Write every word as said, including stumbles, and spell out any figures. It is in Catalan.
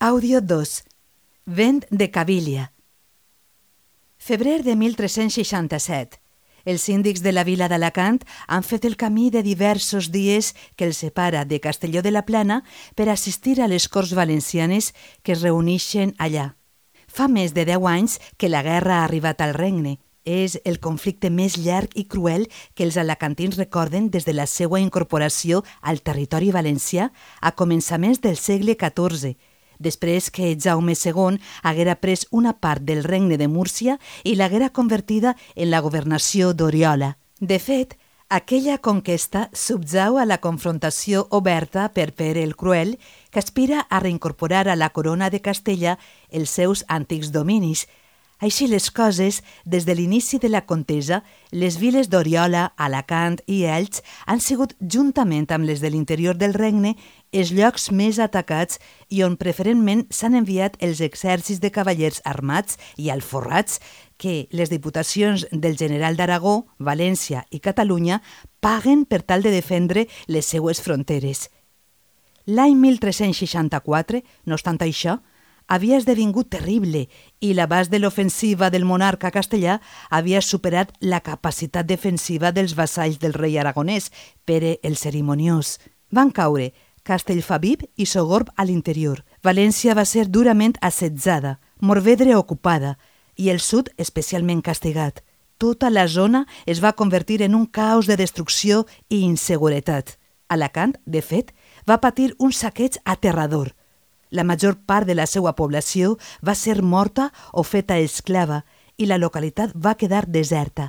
Àudio dos. Vent de Caviglia. Febrer de mil tres-cents seixanta-set. Els síndics de la vila d'Alacant han fet el camí de diversos dies que els separa de Castelló de la Plana per assistir a les Corts Valencianes que es reuneixen allà. Fa més de deu anys que la guerra ha arribat al regne. És el conflicte més llarg i cruel que els alacantins recorden des de la seva incorporació al territori valencià a començaments del segle catorze, després que Jaume segon haguera pres una part del regne de Múrcia i l'haguera convertida en la governació d'Oriola. De fet, aquella conquesta subjau a la confrontació oberta per Pere el Cruel, que aspira a reincorporar a la corona de Castella els seus antics dominis. Així les coses, des de l'inici de la contesa, les viles d'Oriola, Alacant i Elx han sigut, juntament amb les de l'interior del regne, els llocs més atacats i on preferentment s'han enviat els exèrcits de cavallers armats i alforrats que les diputacions del general d'Aragó, València i Catalunya paguen per tal de defendre les seues fronteres. L'any mil tres-cents seixanta-quatre, no obstant això, havia esdevingut terrible i l'abast de l'ofensiva del monarca castellà havia superat la capacitat defensiva dels vassalls del rei aragonès, Pere el Cerimoniós. Van caure Castellfabib i Sogorb a l'interior. València va ser durament assetjada, Morvedre ocupada i el sud especialment castigat. Tota la zona es va convertir en un caos de destrucció i inseguretat. Alacant, de fet, va patir un saqueig aterrador. La major part de la seva població va ser morta o feta esclava i la localitat va quedar deserta.